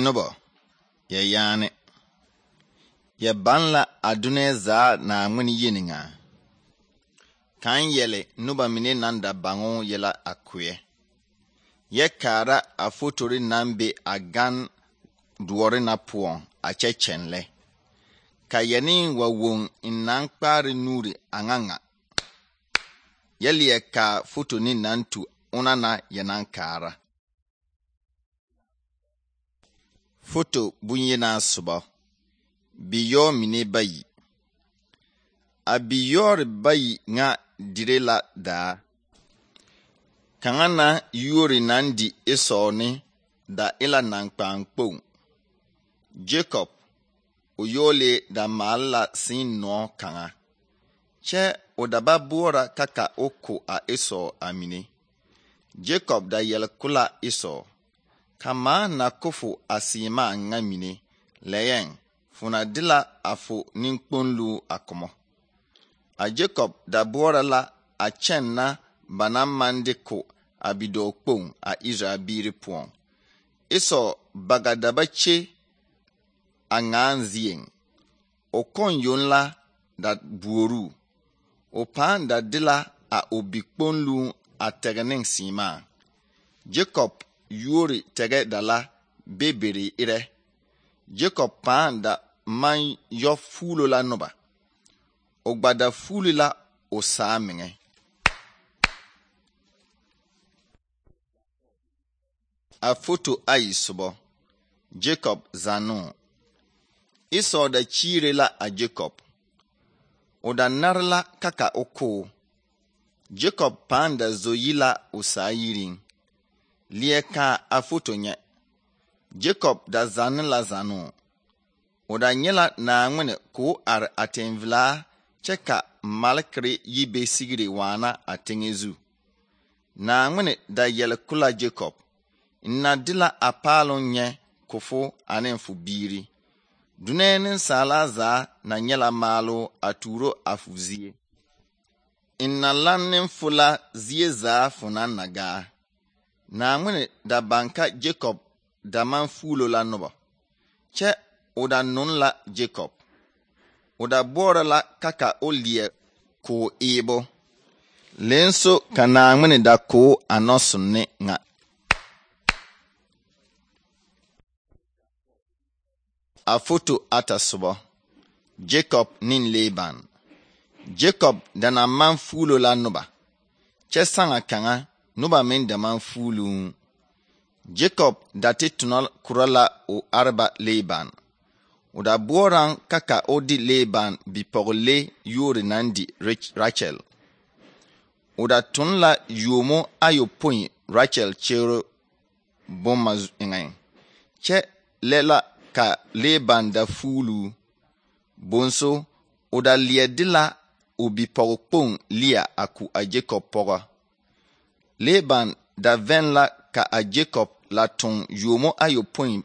Noba, ya yaane. Ya banla adune zaa na ŋmene yeninga. Kan yele noba mine nan da bango yela akoe. Ya kaara a fotori nan be a gan duore na puon a kyekyenle. Ka yani wa won in nan kpare nuri anganga. Ya liye ka foto ni nan tu unana yanan kaara. Foto bunyena suba. Biyo mine bayi. A biyor bayi nga direla daa. Kangana yuri nandi isoni da ila nan kpankpong. Jacob uyole da maala sin no kanga. Che odaba buora kaka oko a iso amine. Jacob da yelkula iso. Kama na kufu asima nga mine. Leyen funa dila afu ninkponlu akomo. A Jacob da buora la a chen na banamande ko abido kpong a Israbiri puon. Iso bagadabache a nganzien. O kon yon la da buoru. O pan da dila a obikponlu a tegening sima. Jacob yuri tege dala beberi ire. Jacob pan da man yo fulo la noba. O gbada fuli la o saamenge. A foto ayi subo. Jacob zanu. Iso da chire la a Jacob. O da narla kaka oko. Jacob pan da zoyi la o saayirin. Lieka a foto nye. Jacob da zanu la zanu. O da nyela na ngwene ko ar atenvla cheka malkri yibe sigiri wana atengezu. Na ngwene da yele kula Jacob. Na dila apalo nye kufo anenfu biri. Dunenin salaza na nyela malo aturo afuzie. Inna lanin fula zie za funan naga. Na ngwene da banka Jacob da man fulo la noba. Che oda nun la Jacob. Oda bora la kaka olie ko ebo. Lenso kana ngwene da ko anosunne nga. A foto ata subo. Jacob nin Laban. Jacob dana man fulo la noba. Che sanga kanga noba men da man fulu. Jacob dati tunal kurala o arba Laban. O da boran kaka odi Laban bipogole yuri nandi Rachel. O da tunla yomo ayo point Rachel chero bomma ingay. Che lela ka Laban da fulu. Bonso o da liedila o bipogpong lia aku a Jacob poga. Laban da venla ka a Jacob la ton yomo ayo point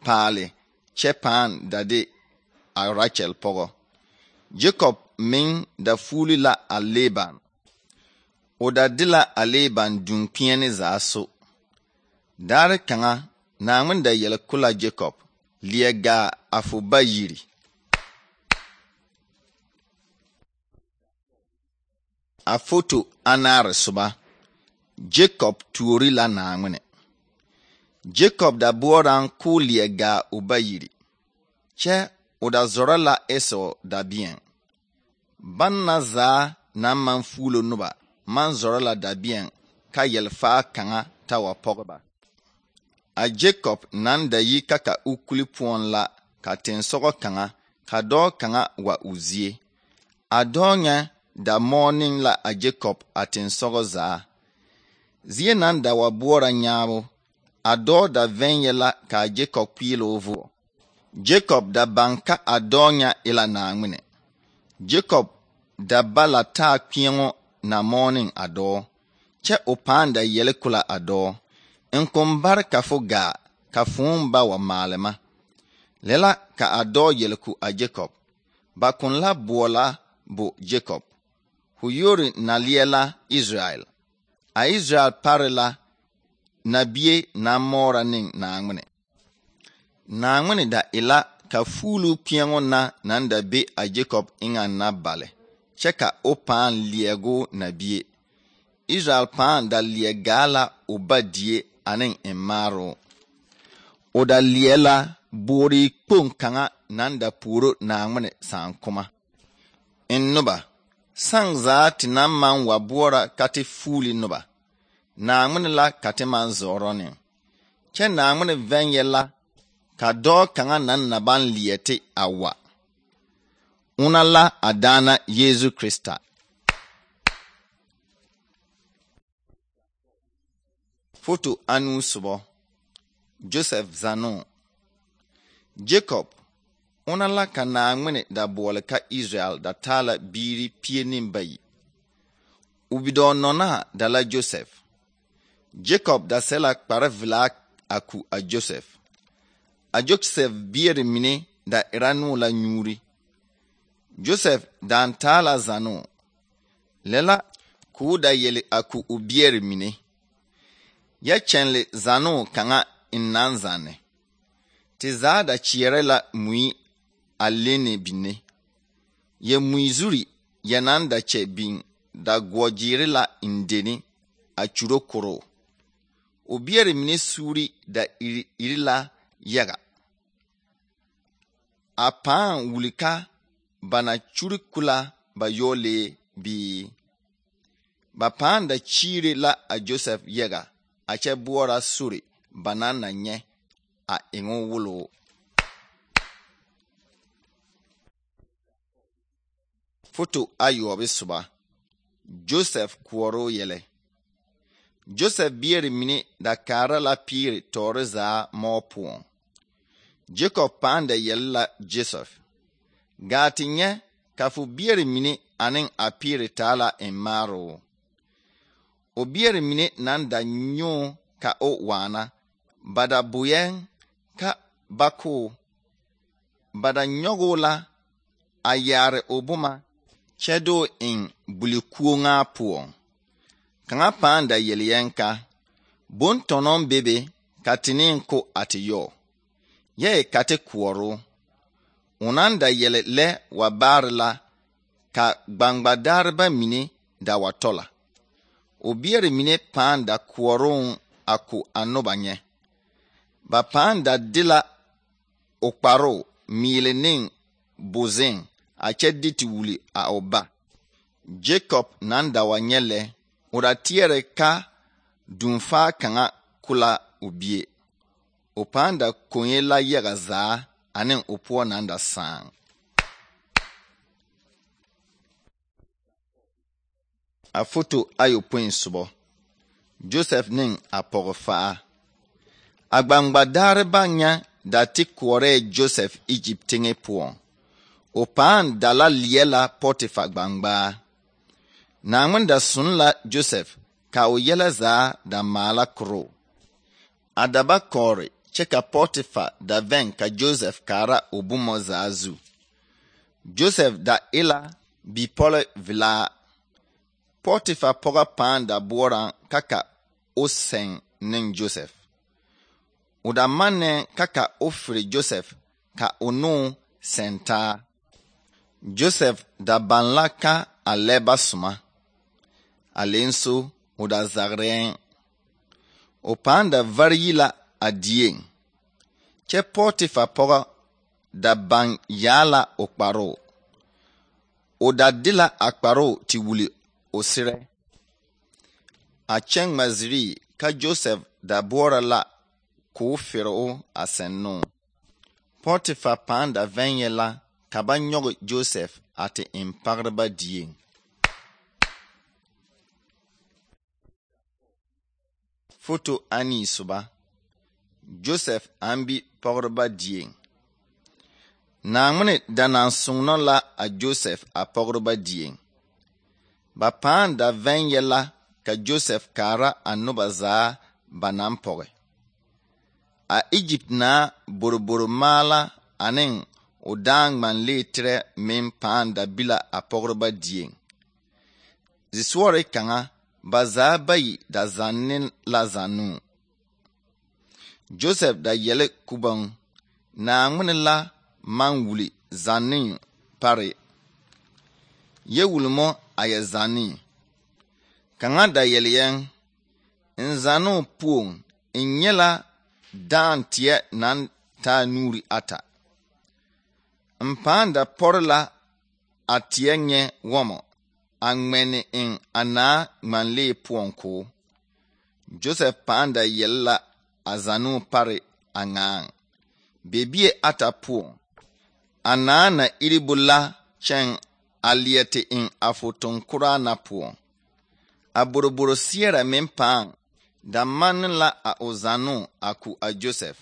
pale. Che pan da de a Rachel pogo. Jacob min da fuli la a Laban. O da dila a Laban dunkiene zaso. Dare kanga na ngwen da yele kula Jacob. Liega afuba yiri. A foto anare suba. Jacob tuori la na ngwene. Jacob da buoran ku liega ubayiri. Che o da zora la eso da bien. Banna za na man fulo nuba. Man zora la da bien. Ka yelfa kanga tawa pogba. A Jacob nan da yi kaka ukuli puon la. Ka tensogo kanga. Ka do kanga wa uzie. A do nya da morning la a Jacob a tensogo za. Zie nan da wa buora nyabo. Ado da venye la ka Jacob pilo ovo. Jacob da banka adonya ila na ngwene. Jacob da bala ta kpiengo na morning ado. Che opanda yele kula ado. Nkumbar kafuga kafumba wa malema. Lela ka ado yele ku a Jacob. Bakun la buola bu Jacob. Huyori na liela Israel. A Israel parela na bie na mora ning na ngwene. Naŋmene da ila ka fuulu kpeɛŋo na naŋ da be a Jacob eŋa na bale, kyɛ ka o pãã leɛgo na bie. Israel pãã da leɛ gaa la o ba die ane emmaaro. O da leɛ la boore kpoŋ kaŋa naŋ da puoro Naŋmene saankoma. En noba, saŋ zaa te naŋ maŋ wa boɔra ka te fuuli noba, Naŋmene la ka te maŋ zɔɔrɔ ne. Kyɛ Naŋmene vɛnyɛ la ka dɔɔ kaŋa naŋ na baŋ leɛ te a wa. Una la a daana Yesu Krista. Foto anu sobo Joseph Zano. Jacob, una la ka Naŋmene da boɔle ka Israel da taa la biiri 12. O bidɔɔnɔnaa da la Joseph. Jacob da sɛ la kpare velaa a ku a Joseph. A Joseph biere mine da era no la nyuuri. Joseph dan taa la Zano. Lela k'o da yele a ku o biere mine. Ya kyɛnle Zano kaŋa en naŋ zanne. Te zaa da kyeɛrɛ la mui a lenne binne. Ya mui zuri ya naŋ da kyɛ biŋ da goɔgyeere la indeni a kyuro koro. O biere mine suuri da iri la yaga. A pãã wuli ka ba na kyuri kula ba yɔɔlee bii. Ba pãã da kyiire la a Joseph yaga a kyɛ boɔra sori ba naŋ na nyɛ a eŋo wuloo. Foto ayɔɔbe soba Joseph kuɔroo yɛlɛ. Joseph biere mine da kaara la piiri tɔɔre zaa mɔɔ poɔŋ. Jacob pãã da yɛle la Joseph. Gaa te nyɛ ka fo biere mine aneŋ a piiri taa la emmaaro. O biere mine naŋ da nyɔɔ ka o waana, ba da boyɛŋ ka bakoo. Ba da nyɔgoo la a yaare o boma kyɛ doo eŋ bulikuoŋaa poɔŋ. Kaŋa pãã da yele yɛŋ ka bontɔnɔŋ bebe ka te neŋ ko a te yɔɔ. Yɛ ka te kuɔroo. O naŋ da yele lɛ wa baare la ka gbangbadaareba mine da wa tɔla. O biere mine pãã da kuɔrooŋ a ko a noba nyɛ. Ba pãã da de la o kparoo miile neŋ bozeŋ a kyɛ de te wuli a o ba. Jacob naŋ da wa nyɛ lɛ, o da teɛrɛ ka dunfaa kaŋa kula o bie. O pãã da koŋe la yaga zaa ane o poɔ naŋ da sããŋ. A foto ayɔpõi sobo Joseph neŋ a pɔgefaa. A gbangbadaareba nya da te kuɔrɛɛ Joseph Egypt teŋe poɔŋ. O pãã da la leɛ la Pɔtifa gbangbaa. Naŋmene da sun la Joseph ka o yɛlɛ zaa da maala koroo. A da ba kɔɔre kyɛ ka Pɔtifa da vɛŋ ka Joseph kaara o boma zaa zu. Joseph da e la bipɔle velaa. Pɔtifa pɔga pãã da boɔraŋ ka o sɛŋ neŋ Joseph. O da mannɛŋ ka o fere Joseph ka o noo sɛntaa. Joseph da baŋ la ka a lɛ ba soma. A lenso o da zagrɛɛŋ. O pãã da vari yi la a dieŋ. Kyɛ Pɔtifa pɔga da baŋ yaa la o kparoo. O da de la a kparoo te wuli o serɛ. A kyɛ ŋma zirii ka Joseph da boɔra la k'o fere o a sɛnnoo. Pɔtifa pãã da vɛnyɛ la ka ba nyɔge Joseph a te eŋ pagreba dieŋ. Foto anii soba Joseph aŋ bi pagreba dieŋ. Naŋmene da naŋ soŋnɔ la a Joseph a pagreba dieŋ. Ba pãã da vɛnyɛ la ka Joseph kaara a noba zaa ba naŋ pɔge. A Egypt naa boroboro maala aneŋ o dãã ŋmanlee terɛ meŋ pãã da bi la a pagreba dieŋ. Zisɔre kaŋa ba zaa bayi da zanne la zannoo. Joseph da yɛle kubaŋ Naangmene la maŋ wuli zannee pare. Yɛ wulmo a yɛ zannee. Kaŋa da yɛle yɛŋ n zannoo puoŋ n nyɛ la dãã teɛ naŋ taa nuuri ata. N pãã da pɔre la a teɛ nyɛ wɔmɔ a ŋmɛne eŋ a naa ŋmanlee poɔŋ koo. Joseph pãã da yɛle la a zannoo pare a ŋaaŋ. Bebie ata poɔŋ. A naa na iri bu la kyɛŋ a leɛ te eŋ a fotonkoraa na poɔŋ. A boroboro seɛrɛ meŋ pãã da manne la a o zannoo a ko a Joseph.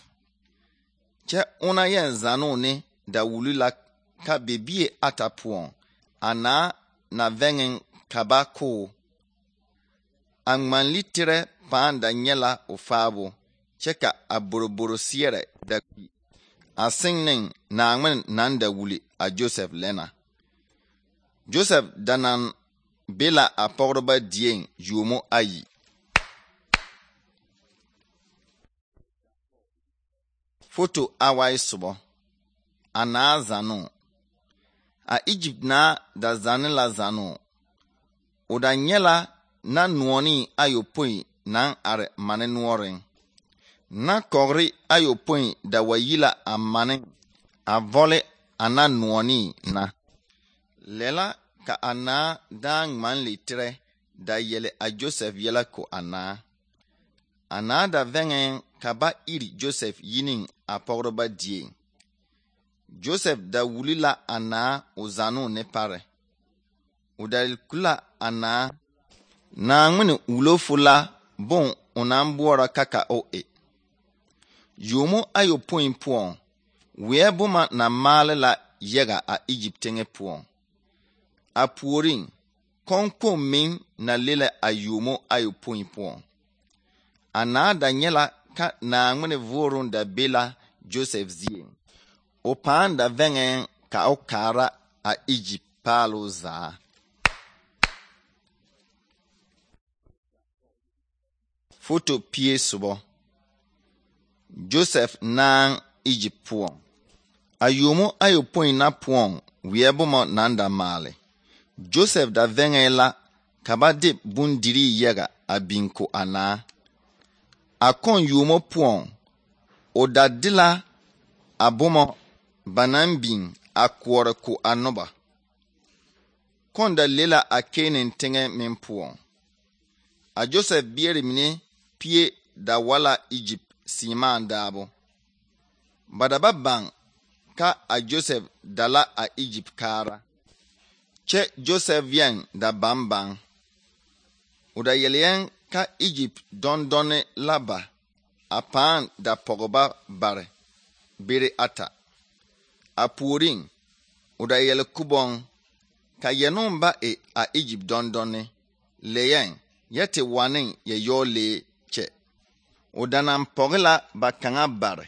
Kyɛ ona yɛn zannoo ne da wuli la ka bebie ata poɔŋ a naa na vɛŋeŋ ka ba koo. A ŋmanli tirɛ pãã da nyɛ la o faabo kyɛ ka a boroboro seɛrɛ da kpi. A seŋ neŋ Naangmene naŋ da wuli a Joseph lɛna. Joseph da naŋ be la a pɔgreba dieŋ yuomo ayi. Foto awai sobɔ. A naa zannoo. A Egypt naa da zanne la zannoo. O da nyɛ la na noɔnii ayopoi naŋ are mane noɔreŋ. Na kɔgre ayopoi da wa yi la a mane a vɔle a na noɔnii na. Lɛ la ka a naa dãã ŋmanle tirɛ da yɛle a Joseph yɛla ko a naa. A naa da vɛŋɛɛŋ ka ba iri Joseph yineŋ a pɔgreba dieŋ. Joseph da wuli la a naa o zannoo ne pare. O da ku la a naa. Naangmene wulo fu la bon o naŋ boɔrɔ ka o e. Yuomo ayopoi poɔŋ, weɛ boma na maale la yaga a Egypt teŋɛ poɔŋ. A puoriŋ, kɔnkɔn meŋ na le la a yuomo ayopoi poɔŋ. A naa da nyɛ la ka Naangmene vooruŋ da be la Joseph zieŋ. O pãã da vɛŋɛɛŋ ka o kaara a Egypt paaloo zaa. Foto pie sobɔ. Joseph naŋ Egypt poɔŋ. A yuomo ayopoi na poɔŋ weɛ boma naŋ da maale. Joseph da vɛŋɛɛ la ka ba de bondirii yaga a biŋ ko a naa. A kɔŋ yuomo poɔŋ, o da de la a boma ba naŋ biŋ a koɔre ko a noba. Kɔŋ da le la a Keenen teŋɛ meŋ poɔŋ. A Joseph biere mine pie da wa la Egypt seemaa daabo. Ba da ba baŋ ka a Joseph da la a Egypt kaara. Kyɛ Joseph yɛŋ da baŋ. O da yɛle yɛŋ ka Egypt dɔndɔne la ba a pãã da pɔgeba bare bere ata. A puoriŋ, o da yɛle kubɔŋ ka yɛnoŋ ba e a Egypt dɔndɔne. Le yɛŋ yɛ te waneŋ yɛ yɔɔlee kyɛ. O da naŋ pɔge la ba kaŋa bare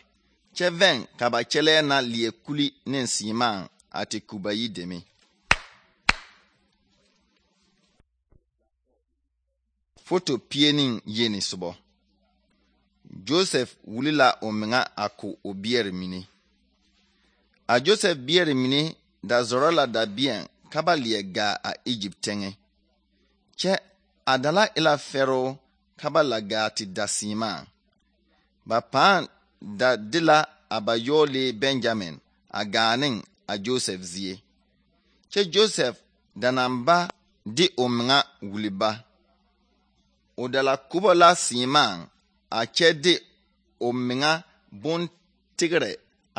kyɛ vɛŋ ka ba kyɛlɛɛ na leɛ kuli ne seemaa a te ku ba yi deme. Foto pie ne yeni sobɔ. Joseph wuli la o meŋa a ko o biɛre mine. A Joseph biɛre mine da zɔrɔ la dabeɛŋ ka ba leɛ gaa a Egypt teŋɛ. Kyɛ a da la e la fɛroo ka ba la gaa te da seemaa. Ba pãã da de la a ba yɔɔlee Benjamin a gaa neŋ a Joseph zie. Kyɛ Joseph da naŋ ba de o meŋa wuli ba. O da la kubo la seemaa a kyɛ de o meŋa bontegrɛ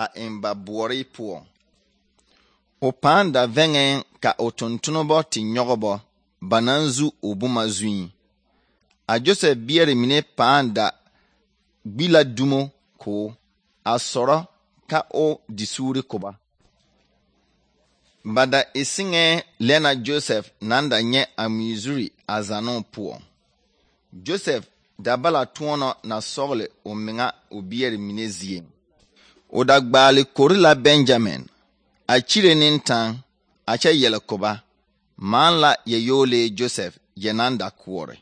a eŋ ba boɔre poɔŋ. O pãã da vɛŋɛɛŋ ka o tontonobɔ te nyɔgebɔ ba naŋ zu o boma zuiŋ. A Joseph biɛre mine pãã da gbi la dumo koo a sɔrɔ ka o di suuri koba. Ba da e seŋɛɛ lɛ na Joseph naŋ da nyɛ a mizuri a zannoo poɔŋ. Joseph da bala tõɔnɔ na sɔgle o meŋa o biɛre mine zieŋ. O da gbaale kori la Benjamin a kyire ne taŋ a kyɛ yɛle koba. Maan la yɛ yɔɔlee Joseph yɛ naŋ da koɔre.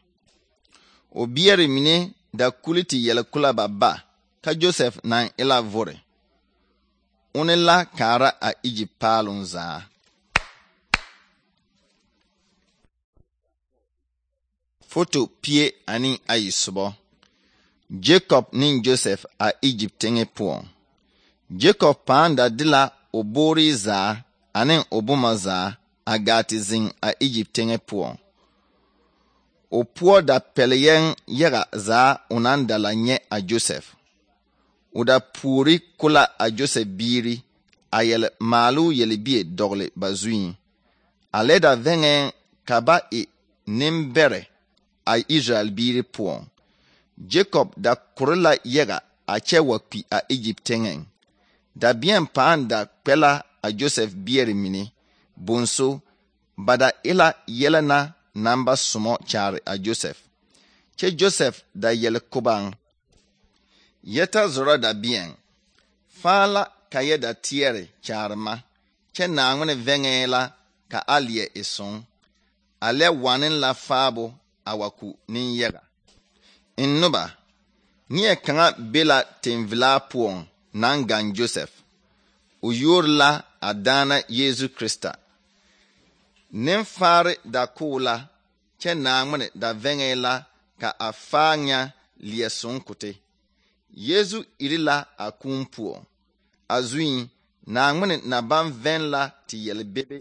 O biɛre mine da kuli te yɛle kula ba ba ka Joseph naŋ e la vore. one la kaara a Egypt paaloŋ zaa. Foto pie ane ayi sobɔ. Jacob ne Joseph a Egypt teŋe poɔŋ. Jacob pãã da de la o boore zaa ane o boma zaa a gaa te zeŋ a Egypt teŋe poɔŋ. O poɔ da pɛle yɛŋ yaga zaa o naŋ da la nyɛ a Joseph. O da puori kola a Joseph biiri a yɛle maaloo yelebie dɔgele ba zuiŋ. A lɛ da vɛŋɛɛŋ ka ba e nembɛrɛ a Israel biiri poɔŋ. Jacob da kore la yaga a kyɛ wa kpi a Egypt teŋeŋ. Dabeɛŋ pãã da kpɛ la a Joseph biɛre mine bonso ba da e la yɛlɛ na naŋ ba somɔ kyaare a Joseph. Kyɛ Joseph da yɛle kobaŋ. Yɛ ta zɔrɔ dabeɛŋ. Fãa la ka yɛ da teɛre kyaare ma, kyɛ Naaŋmene vɛŋɛɛ la ka a leɛ e soŋ. A lɛ waneŋ la faabo a wa ku nenyaga. N noba, neɛ kaŋa be la tenvelaa poɔŋ naŋ gaŋ Joseph. O yuori la a daana Yeezu Krista. Nenfaare da koo la, kyɛ Naaŋmene da vɛŋɛɛ la ka a faa nya leɛ soŋ kote. Yeezu iri la a kūū poɔŋ. A zuiŋ, Naaŋmene na baŋ vɛŋ la te yɛlebebe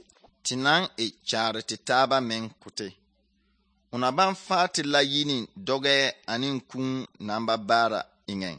te naŋ e kyaare te taaba meŋ kote. O na baŋ faa te la yi ne dɔgɛɛ ane kūū naŋ ba baara eŋɛŋ.